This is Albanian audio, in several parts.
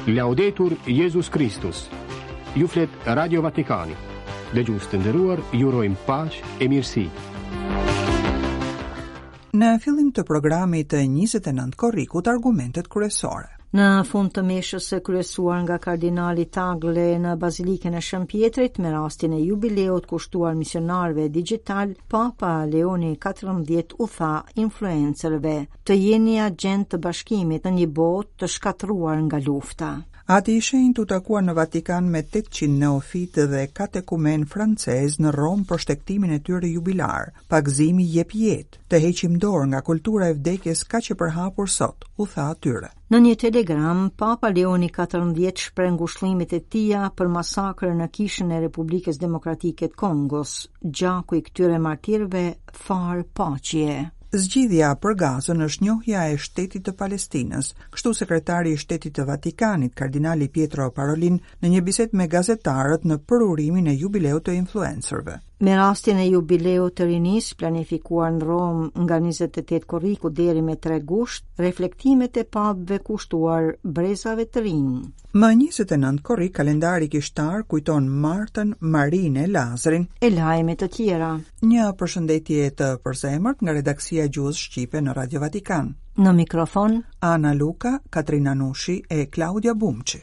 Laudetur Jezus Kristus. Ju flet Radio Vatikani. Dëgjues të nderuar, ju urojmë paqe e mirësi. Në fillim të programit të 29 korrikut argumentet kryesore. Në fund të meshës së kryesuar nga kardinali Tagle në Bazilikën e Shën Pjetrit me rastin e jubileut kushtuar misionarëve digjitalë, Papa Leoni XIV u tha influencerëve të jeni agjentë të bashkimit në një botë të shkatërruar nga lufta. Ati i Shenjtë u takua në Vatikan me 800 neofitë dhe katekumenë francezë në Romë për shtegtimin e tyre jubilar. Pagëzimi jep jetë. Të heqim dorë nga kultura e vdekjes kaq e përhapur sot, u tha atyre. Në një telegram, Papa Leoni XIV shpreh ngushëllimet e tija për masakrën në Kishën e Republikës Demokratike të Kongos. Gjaku i këtyre martirëve farë paqeje. Zgjidhja për Gazën është njohja e shtetit të Palestinës, kështu sekretari i Shtetit të Vatikanit, kardinali Pietro Parolin, në një bisedë me gazetarët në përurimin e jubileut të influencerëve. Me rastin e jubileut të rinisë, planifikuar në Romë nga 28 korriku deri me 3 gusht, reflektimet e papëve kushtuar brezave të rinj. Më 29 korrik, kalendari kishtar kujton Martën, Marinë e Lazrin e lajme të tjera. Një përshëndetje të përzemërt nga redaksia e gjuhës shqipe në Radio Vatikan. Në mikrofon Ana Luka, Katrina Nushi e Klaudia Bumçi.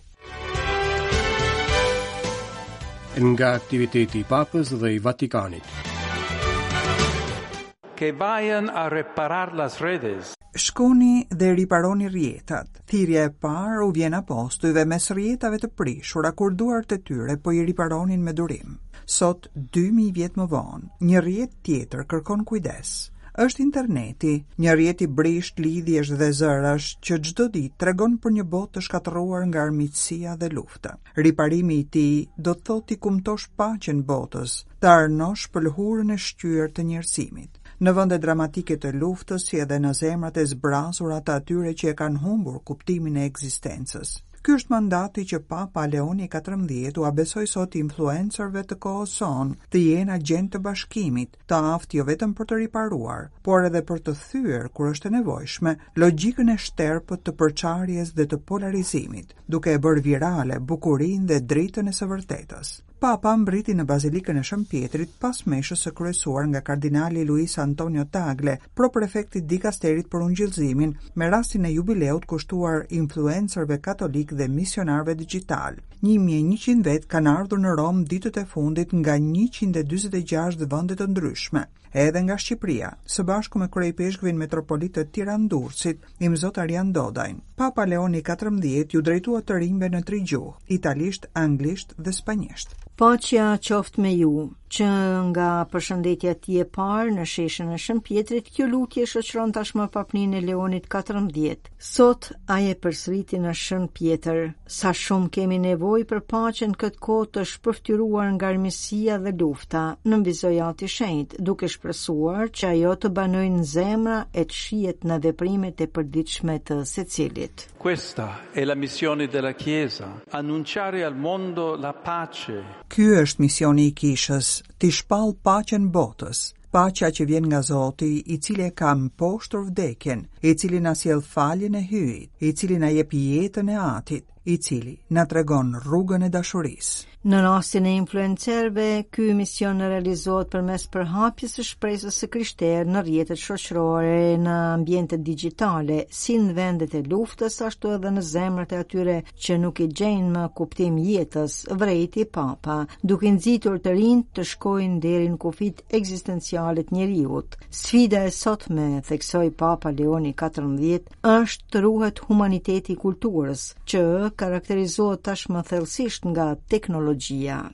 Nga aktiviteti i Papës dhe i Vatikanit. Que vayan a reparar las redes. Shkoni dhe riparoni rrjetat. Thirrja e parë u vjen apostujve mes rrjetave të prishura kur duart e tyre po i riparonin me durim. Sot, 2000 vjet më vonë, një rrjet tjetër kërkon kujdes. Është interneti, një rrjet i brishtë lidhjesh dhe zërash që çdo ditë tregon për një botë të shkatërruar nga armiqësia dhe lufta. Riparimi i tij do të thotë t'i kumtosh paqen botës, të arnosh pëlhurën e shqyer të njerëzimit. Në vende dramatike të luftës si edhe në zemrat e zbrazura të atyre që e kanë humbur kuptimin e ekzistencës. Ky është mandati që Papa Leoni XIV ua besoi sot influencerëve të kohës sonë, të jenë agjentë të bashkimit, të aftë jo vetëm për të riparuar, por edhe për të thyer, kur është e nevojshme, logjikën e shterpët të përçarjes dhe të polarizimit, duke e bërë virale bukurinë dhe dritën e së vërtetës. Papa mbërriti në Bazilikën e Shën Pjetrit pas meshës së kryesuar nga kardinali Luis Antonio Tagle, proprefekt i dikasterit për ungjillëzimin, me rastin e jubileut kushtuar influencerëve katolikë dhe misionarëve digjitalë. 1100 vetë kanë ardhur në Romë ditët e fundit nga 146 vende të ndryshme, edhe nga Shqipëria, së bashku me kryeipeshkvin metropolit të Tiranë-Durrësit, Imzot Arjan Dodajn. Papa Leoni XIV iu drejtua të rinjve në tri gjuhë, italisht, anglisht dhe spanjisht. Paqja qoftë me ju. Që nga përshëndetja e tij e parë në sheshin e Shën Pjetrit, kjo lutje shoqëron tashmë papninë e Leonit XIV. Sot ai e përsëriti në Shën Pjetër. Sa shumë kemi nevojë për paqen në këtë kohë të shpërfytyruar nga armiqësia dhe lufta, nënvizoi Ati i Shenjtë, duke shpresuar që ajo të banojë në zemra e të shihet në veprimet e përditshme të secilit. Questa è la missione della Chiesa, annunciare al mondo la pace. Ky është misioni i Kishës, t'i shpallë paqen botës. Paqja që vjen nga Zoti, i cili e ka mposhtur vdekjen, i cili na sjell faljen e Hyjit, i cili na jep jetën e Atit, i cili na tregon rrugën e dashurisë. Në rastin e influencerëve, ky mision realizohet përmes përhapjes së shpresës së krishterë në rrjetet shoqërore, në ambientet digjitale, si në vendet e luftës, ashtu edhe në zemrat e atyre që nuk i gjejnë më kuptim jetës, vërejti Papa, duke nxitur të rinjtë të shkojnë deri në kufijtë ekzistenciale të njeriut. Sfida e sotme, theksoi Papa Leoni XIV, është të ruhet humaniteti i kulturës, që karakterizohet tashmë thellësisht nga teknologjia.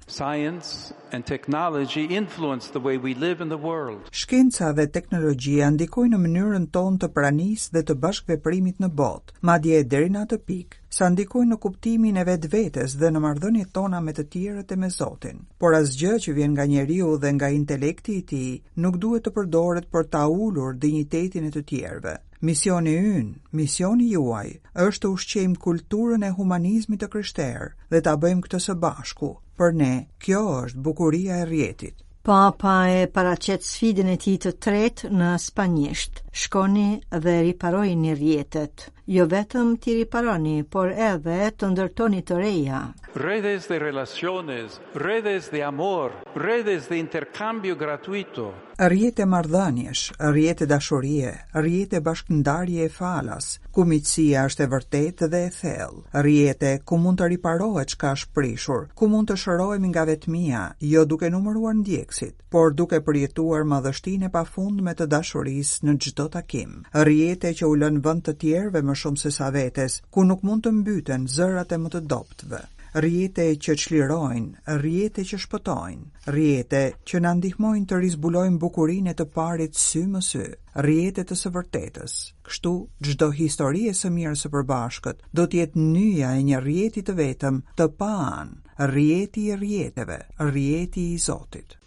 Science and technology influence the way we live in the world. Shkenca dhe teknologjia ndikojnë në mënyrën tonë të pranisë dhe të bashkëveprimit në botë, madje deri në atë pikë, sa ndikojnë në kuptimin e vetvetes dhe në marrëdhëniet tona me të tjerët e me Zotin. Por asgjë që vjen nga njeriu dhe nga intelekti i tij nuk duhet të përdoret për ta ulur dinjitetin e të tjerëve. Misioni ynë, misioni juaj, është të ushqejmë kulturën e humanizmit të krishterë dhe ta bëjmë këtë së bashku. Për ne, kjo është bukuria e rrjetit. Papa e paraqet sfidën e tij të tretë në spanjisht. Shkoni dhe riparojini rrjetet. Jo vetëm t'i riparoni, por edhe të ndërtoni të reja. Redes de relaciones, redes de amor, redes de intercambio gratuito. Rrjete marrëdhëniesh, rrjete dashurie, rrjete bashkëndarjeje falas, ku miqësia është e vërtetë dhe e thellë, rrjete ku mund të riparohet çka është prishur, ku mund të shërohemi nga vetmia, jo duke numëruar ndjekësit, por duke përjetuar madhështinë e pafundme të dashurisë në çdo takim. Rrjete që u lënë vend të tjerëve më shumë sesa vetes, ku nuk mund të mbyten zërat e më të dobëtve. Rrjete që çlirojnë, rrjete që shpëtojnë, rrjete që na ndihmojnë të rizbulojmë bukurinë e të parit sy më sy, rrjete të së vërtetës. Kështu, çdo histori e së mirës së përbashkët do të jetë nyja e një rrjeti të vetëm të paanë, rrjeti i rrjeteve, rrjeti i Zotit.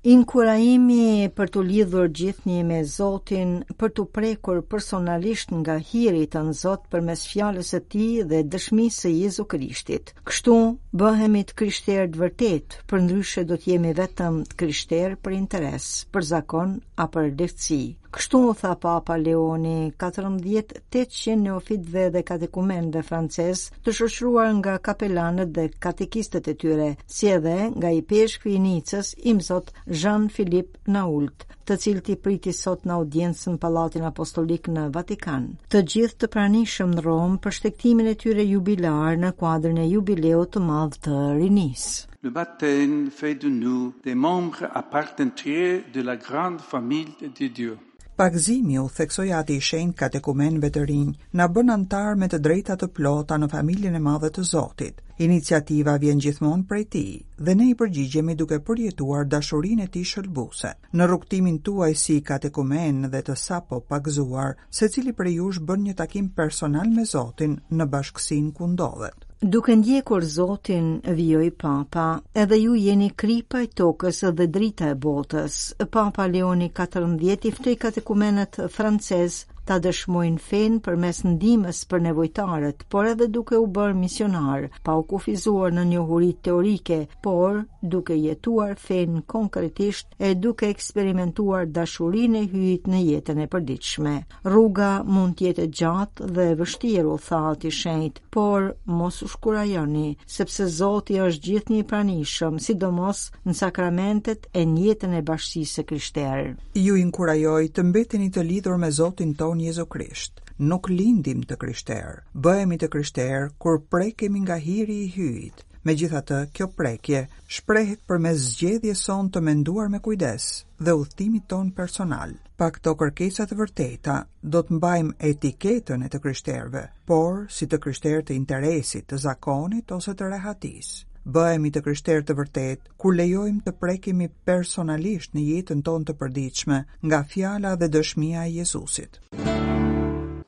Inkurajimi për t'u lidhur gjithnjë me Zotin, për t'u prekur personalisht nga hiri i Tënzot përmes fjalës së tij dhe dëshmisë së Jezu Krishtit. Kështu bëhemi të krishterë të vërtetë, përndryshe do të jemi vetëm të krishterë për interes, për zakon a për lehtësi. Kështu u tha Papa Leoni 14 800 neofitëve dhe katekumenëve francezë të shoqëruar nga kapelanët dhe katekistët e tyre, si edhe nga ipeshkvi i Nicës, Imzot Jean-Philippe Nault, të cilët i priti sot në audiencë në Pallatin Apostolik në Vatikan. Të gjithë të pranishëm në Romë për shtegtimin e tyre jubilar në kuadrin e jubileut të madh të rinisë. Le baptême fait de nous des membres à part entière de la grande famille de Dieu. Pagëzimi, u theksoi Ati i Shenjtë katekumenëve të rinj, na bën anëtarë me të drejta të plota në familjen e madhe të Zotit. Iniciativa vjen gjithmonë prej Tij dhe ne i përgjigjemi duke përjetuar dashurinë e Tij shëlbuese. Në rrugëtimin tuaj si katekumenë dhe të sapo pagëzuar, secili prej jush bën një takim personal me Zotin në bashkësinë ku ndodhet. Duke ndjekur Zotin, vijoi Papa, edhe ju jeni kripa e tokës dhe drita e botës. Papa Leoni XIV i ftoi katekumenët francezë ta dëshmojnë fenë përmes ndihmës për nevojtarët, por edhe duke u bërë misionarë, pa u kufizuar në njohuritë teorike, por duke jetuar fenë konkretisht e duke eksperimentuar dashurinë e Hyjit në jetën e përditshme. Rruga mund të jetë e gjatë dhe e vështirë, u tha Ati i Shenjtë, por mos u shkurajoni, sepse Zoti është gjithnjë i pranishëm, sidomos në sakramentet e në jetën e bashkësisë së krishterë. Ju inkurajoj të mbeteni të lidhur me Zotin tonë Jezu Krisht. Nuk lindim të krishterë, bëhemi të krishterë kur prekemi nga hiri i Hyjit. Megjithatë, kjo prekje shprehet përmes zgjedhjes sonë të menduar me kujdes dhe udhëtimit tonë personal. Pa këto kërkesa të vërteta, do të mbajmë etiketën e të krishterëve, por si të krishterë të interesit, të zakonit ose të rehatisë. Bëhemi të krishterë të vërtetë kur lejojmë të prekemi personalisht në jetën tonë të përditshme nga fjala dhe dëshmia e Jezusit.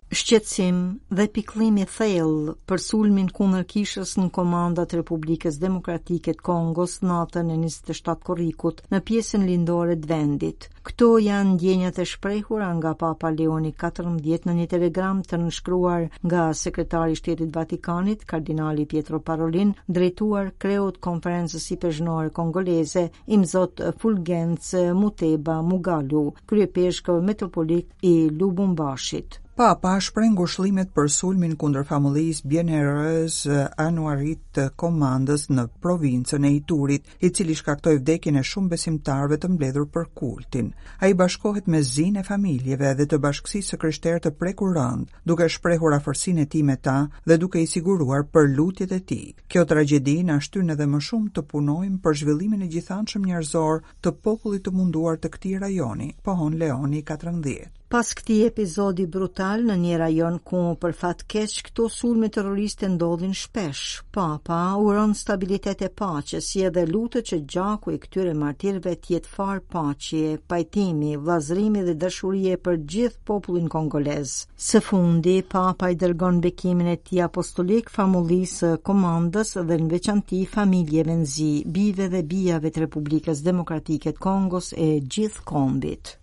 Shqetësim dhe pikëllim i thellë për sulmin kundër kishës në Komanda të Republikës Demokratike të Kongos natën e 27 korrikut në pjesën lindore të vendit. Këto janë ndjenjat e shprehura nga Papa Leoni XIV në një telegram të nënshkruar nga sekretari i Shtetit të Vatikanit, kardinali Pietro Parolin, drejtuar kreut të Konferencës Ipeshkvnore Kongoleze, Imzot Fulgenc Muteba Mugalu, kryepeshkëv metropolit i Lubumbashit. Papa shpreh ngushëllimet për sulmin kundër famullisë Bienheureuse Anuarite të Komandës në provincën e Iturit, i cili shkaktoi vdekjen e shumë besimtarëve të mbledhur për kultin. Ai bashkohet me zinë e familjeve dhe të bashkësisë së krishterë të prekur rëndë, duke shprehur afërsinë e tij me ta dhe duke i siguruar për lutjet e tij. Kjo tragjedi na shtyn edhe më shumë të punojmë për zhvillimin e gjithanshëm njerëzor të popullit të munduar të këtij rajoni, pohon Leoni 14. Pas këtij epizodi brutal në një rajon ku për fat keq këto sulme terroriste ndodhin shpesh, Papa uron stabilitet e paqe, si edhe lutet që gjaku i këtyre martirëve të jetë farë paqeje, pajtimi, vëllazërimi dhe dashurie për gjithë popullin kongolez. Së fundi, Papa i dërgon bekimin e tij apostolik famullisë së Komandës dhe në veçanti familjeve në zi, bijve dhe bijave të Republikës Demokratike të Kongos e gjithë kombit.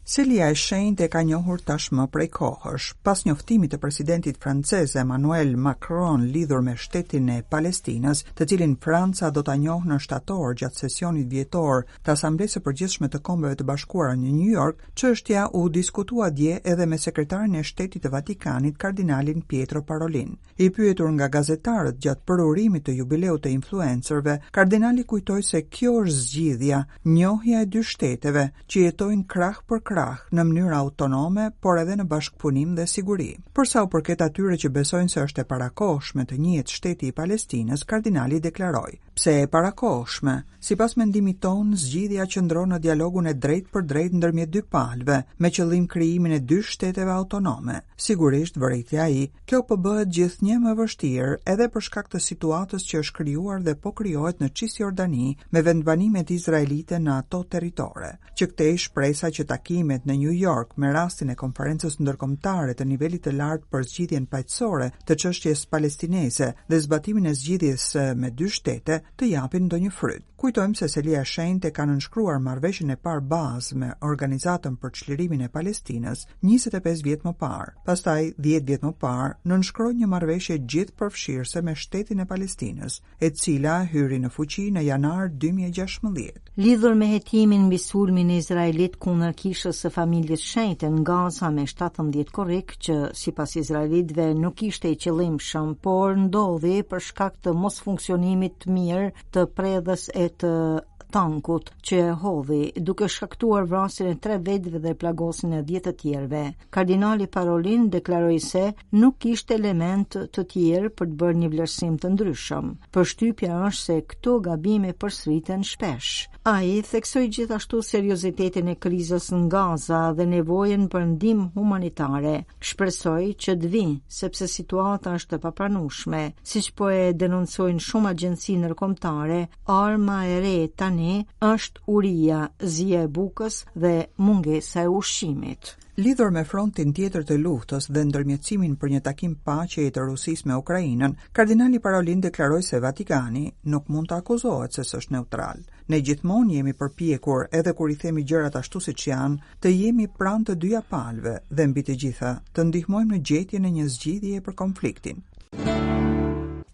Selia e Shenjtë e ka njohur tashmë prej kohësh. Pas njoftimit të presidentit francez Emmanuel Macron lidhur me shtetin e Palestinës, të cilin Franca do ta njohë në shtator gjatë sesionit vjetor të Asamblesë së Përgjithshme të Kombeve të Bashkuara në New York, çështja u diskutua dje edhe me sekretarin e Shtetit të Vatikanit, kardinalin Pietro Parolin. I pyetur nga gazetarët gjatë përurimit të jubileut të influencerëve, kardinali kujtoi se kjo është zgjidhja, njohja e dy shteteve që jetojnë krah për krah në mënyrë autonome, por edhe në bashkëpunim dhe siguri. Për sa u përket atyre që besojnë se është e parakohshme të njihet shteti i Palestinës, kardinali deklaroi: Pse e parakohshme? Sipas mendimit tonë, zgjidhja qëndron në dialogun e drejtpërdrejtë ndërmjet dy palëve, me qëllim krijimin e dy shteteve autonome. Sigurisht, vërejti ai, kjo po bëhet gjithnjë më e vështirë edhe për shkak të situatës që është krijuar dhe po krijohet në Cisjordani me vendbanimet izraelite në ato territore. Që këtej shpresa që takimet në New York me rastin e konferencës ndërkombëtare të nivelit të lartë për zgjidhjen paqësore të çështjes palestineze dhe zbatimin e zgjidhjes me dy shtete të japin ndonjë fryt. Kujtojmë se Selia e Shenjtë e ka nënshkruar marrëveshjen e parë bazë me Organizatën për Çlirimin e Palestinës 25 vjet më parë. Pastaj, 10 vjet më parë, nënshkroi një marrëveshje gjithëpërfshirëse me shtetin e Palestinës, e cila hyri në fuqi në janar 2016. Lidhur me hetimin mbi sulmin izraelit kundër kishës së familjes shenjte në Gaza me 17 korrik, që sipas izraelitëve nuk ishte i qëllimshëm, por ndodhi për shkak të mosfunksionimit të mirë të predhës e të tankut që e hodhi, duke shkaktuar vrasjen e tre vetëve dhe plagosjen e 10 të tjerëve. Kardinali Parolin deklaroi se nuk kishte elementë të tjerë për të bërë një vlerësim të ndryshëm. Përshtypja është se këto gabime përsëriten shpesh. Ai theksoi gjithashtu seriozitetin e krizës në Gaza dhe nevojën për ndihmë humanitare. Shpresoj që të vijë, sepse situata është e papranueshme, siç po e denoncojnë shumë agjenci ndërkombëtare, arma e re tani është uria, zia e bukës dhe mungesa e ushqimit. Lidhur me frontin tjetër të luftës dhe ndërmjetësimin për një takim paqeje të Rusisë me Ukrainën, kardinali Parolin deklaroi se Vatikani nuk mund të akuzohet se s'është neutral. Ne gjithmonë jemi përpjekur, edhe kur i themi gjërat ashtu siç janë, të jemi pranë të dyja palëve dhe mbi të gjitha, të ndihmojmë në gjetjen e një zgjidhjeje për konfliktin.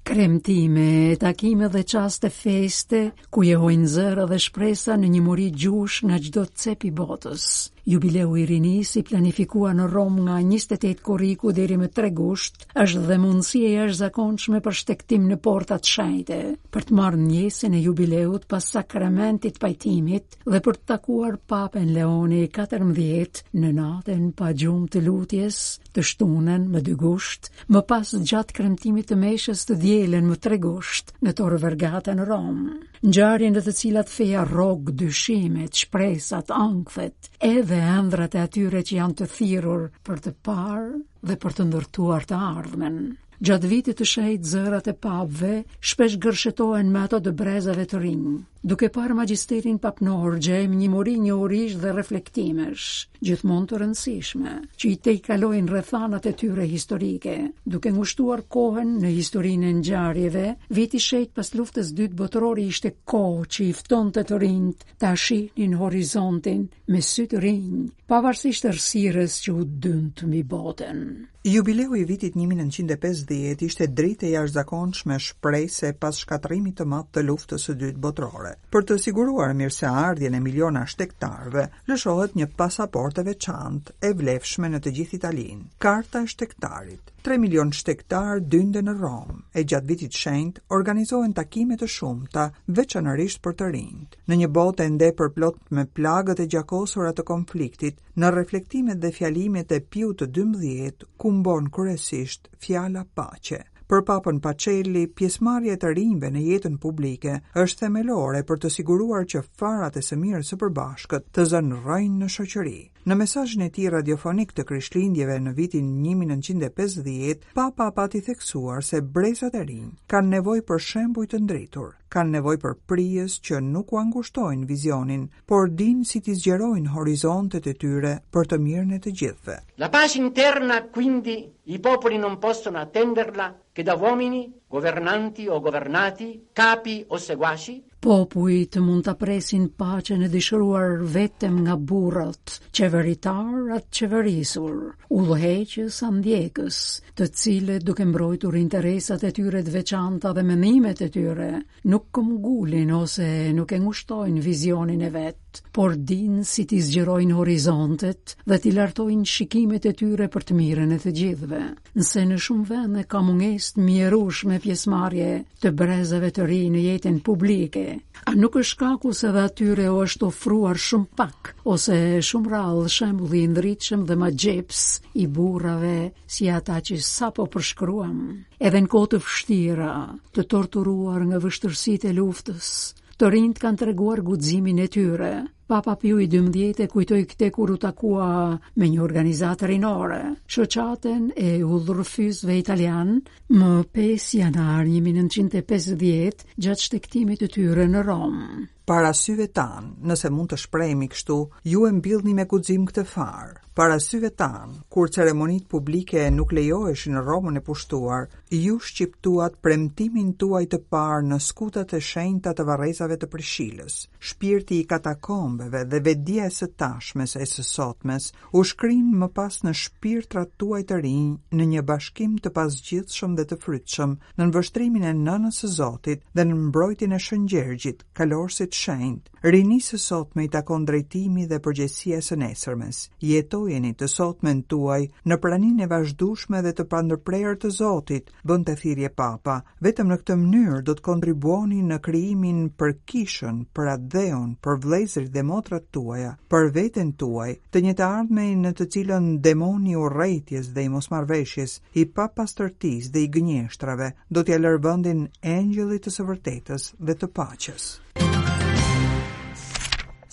Kremtime, takime dhe çaste feste, ku jehojnë zëra dhe shpresa në një mori gjuhësh nga çdo cep i botës. Jubileu i rinisë i planifikuar në Romë nga 28 korriku deri më 3 gusht, është dhe mundësi e jashtëzakonshme për shtegtim në portat shenjte, për të marrë ndjesën e jubileut pas sakramentit pajtimit dhe për të takuar Papën Leoni 14 në natën pa gjumë të lutjes, të shtunën më 2 gusht, më pas gjatë kremtimit të meshës të dielën më 3 gusht në Tor Vergata në Romë. Ngjarje në të cilat feja rrok dyshimet, shpresat, ankthet, edhe ëndrrat e atyre që janë të thirrur për të parë dhe për të ndërtuar të ardhmen. Gjatë vitit të shenjtë zërat e papëve shpesh gërshetohen me ato të brezave të rinj. Duke parë magjisterin papnor, gjejmë një mori njohurish dhe reflektimesh, gjithmonë të rëndësishme, që i tejkalojnë rrethanat e tyre historike, duke ngushtuar kohën në historinë e ngjarjeve, viti i shenjtë pas luftës dytë botërore ishte kohë që i ftonte të rinjtë ta shihnin horizontin me sy të rinj, pavarësisht errësirës që u dynd mbi botën. Jubileu i vitit 1950 ishte dritë e jashtëzakonshme shprese pas shkatërrimit të madh të luftës së dytë botërore. Për të siguruar mirëseardhjen e miliona shtegtarëve, lëshohet një pasaportë e veçantë, e vlefshme në të gjithë Italinë, Karta e Shtegtarit. 3 milion shtegtarë dynden në Romë, e gjatë vitit shenjt organizohen takime të shumta, veçanërisht për të rinjtë. Në një botë ende përplot me plagët e gjakosura të konfliktit, në reflektimet dhe fjalimet e Piut të 12 kumbon kryesisht fjala paqe. Për Papën Pacelli, pjesëmarrja e të rinjve në jetën publike është themelore për të siguruar që farat e së mirës së përbashkët të zënë rrënjë në shoqëri. Në mesazhin e tij radiofonik të Krishtlindjeve në vitin 1950, Papa pati theksuar se brezat e rinj kanë nevojë për shembuj të ndritur, kanë nevojë për prijës që nuk ua ngushtojnë vizionin, por dinë si t'i zgjerojnë horizontet e tyre për të mirën e të gjithëve. La pace interna, quindi, i popoli non possono attenderla che da uomini, governanti o governati, capi o seguaci. Popujt mund ta presin paqen e dëshiruar vetëm nga burrat, qeveritarë a të qeverisur, udhëheqës a ndjekës, të cilët duke mbrojtur interesat e tyre të veçanta dhe mendimet e tyre, nuk këmbëngulin ose nuk e ngushtojnë vizionin e vet, por dinë si t'i zgjerojnë horizontet dhe t'i lartojnë shikimet e tyre për të mirën e të gjithëve. Nëse në shumë vende ka mungesë të mjerueshme pjesëmarrje të brezave të rinj në jetën publike, a nuk është shkaku se dhe atyre u është ofruar shumë pak ose shumë rrallë shembulli i ndritshëm dhe magjepsës i burrave si ata që sapo përshkruam? Edhe në kohë të vështira, të torturuar nga vështirësitë e luftës, të rinjtë kanë treguar guximin e tyre. Papa Piu i 12 e kujtoi këtë kur u takua me një organizatë rinore, shoqatën e udhërrëfyesve italianë, më 5 janar 1950, gjatë shtegtimit të tyre në Romë. Para syve tanë, nëse mund të shprehemi kështu, ju e mbillni me guxim këtë farë. Para syve tanë, kur ceremonitë publike nuk lejoheshin në Romën e pushtuar, ju shqiptuat premtimin tuaj të parë në skutat e shenjta të varrezave të Prishilës. Shpirti i katakombeve dhe vetëdija e së tashmes e së sotmes u shkrinë më pas në shpirtrat tuaj të rinj në një bashkim të pazgjidhshëm dhe të frytshëm, nën vështrimin e Nënës së Zotit dhe nën mbrojtjen e Shën Gjergjit, kalorësit të shenjtë. Rinisë së sotme i takon drejtimi dhe përgjegjësia e së nesërmes. Jetojeni të sotmen tuaj në praninë e vazhdueshme dhe të pandërprerë të Zotit, bënte thirrje Papa. Vetëm në këtë mënyrë do të kontribuoni në krijimin për kishën, për atdheun, për vëllezërit dhe motrat tuaja, për veten tuaj, të një të ardhmeje në të cilën demoni i urrejtjes dhe i mosmarrëveshjes, i papastërtisë dhe i gënjeshtrave, do t'ia lërë vendin engjëllit të së vërtetës dhe të paqes.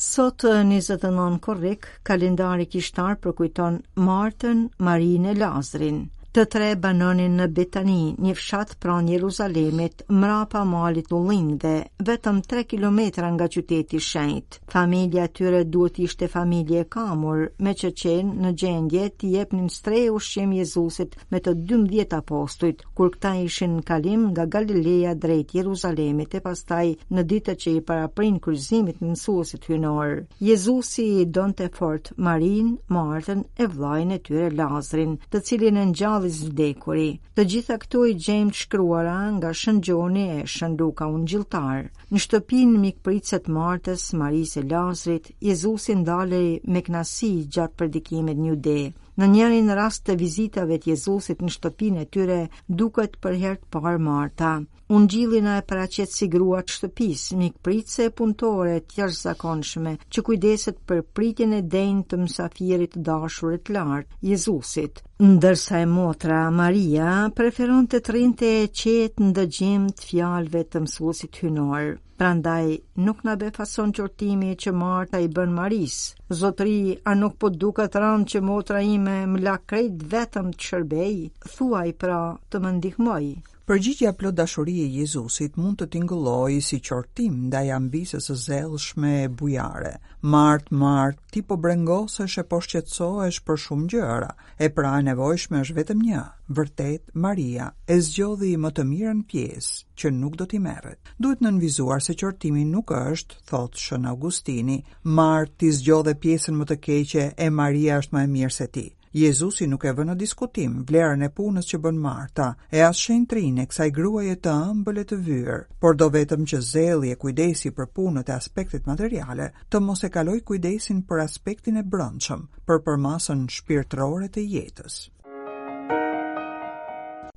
Sot 29 korrik, kalendari kishtar përkujton Martën, Marinë e Lazrin. Të tre banonin në Betani, një fshat pranë Jeruzalemit, mrapa malit të Ullinjve, vetëm 3 kilometra nga qyteti i shenjtë. Familja e tyre duhet ishte familje e kamur, meqë qenë në gjendje t'i jepnin strehë e ushqim Jezusit me të 12 apostujt, kur këta ishin në kalim nga Galilea drejt Jeruzalemit e pastaj në ditët që i paraprinë kryqëzimit të mësuesit hyjnor. Jezusi i donte fort Marinë, Martën e vëllain e tyre Lazrin, të cilin e ngjalli së vdekuri. Të gjitha këto i gjejmë të shkruara nga Shën Gjoni e Shën Luka Ungjilltar. Në shtëpinë mikpritëse të Martës, Marisë e Lazrit, Jezusi ndalej me kënaqësi gjatë predikimit në Jude. Në njërin rast të vizitave të Jezusit në shtëpinë e tyre, duket për herë të parë Marta. Ungjilli na e paraqet si grua të shtëpisë, mikpritëse e punëtore të jashtëzakonshme, që kujdeset për pritjen e denjë të mësafirit të dashur e të lartë, Jezusit. Ndërsa e motra, Maria, preferonte të rrinte e qetë në dëgjim të fjalëve të mësuesit hyjnor. Prandaj nuk na befason qortimi që Marta i bën Marisë. Zotëri, a nuk po duket rëndë që motra ime më la krejt vetëm të shërbej? Thuaj pra të më ndihmojë. Përgjigja plot dashuri e Jezusit mund të tingëllojë si qortim ndaj amvises së zellshme e bujare. Martë, Martë, ti po brengosesh e po shqetësohesh për shumë gjëra, e pra e nevojshme është vetëm një. Vërtet, Maria e zgjodhi më të mirën pjesë, që nuk do t'i merret. Duhet nënvizuar se qortimi nuk është, thotë Shën Augustini, Martë, ti zgjodhe pjesën më të keqe e Maria është më e mirë se ti. Jezusi nuk e vë në diskutim vlerën e punës që bën Marta, e as shenjtërinë e kësaj gruaje të ëmbël e të vyer, por do vetëm që zelli e kujdesi për punët e aspektet materiale të mos e kalojë kujdesin për aspektin e brendshëm, për përmasën shpirtërore të jetës.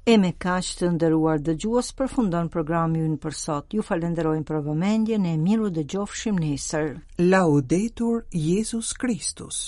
E me kaq të nderuar dëgjues përfundon programi ynë për sot. Ju falënderojmë për vëmendjen e mirudëgjofshim nesër. Laudetur Jezus Kristus.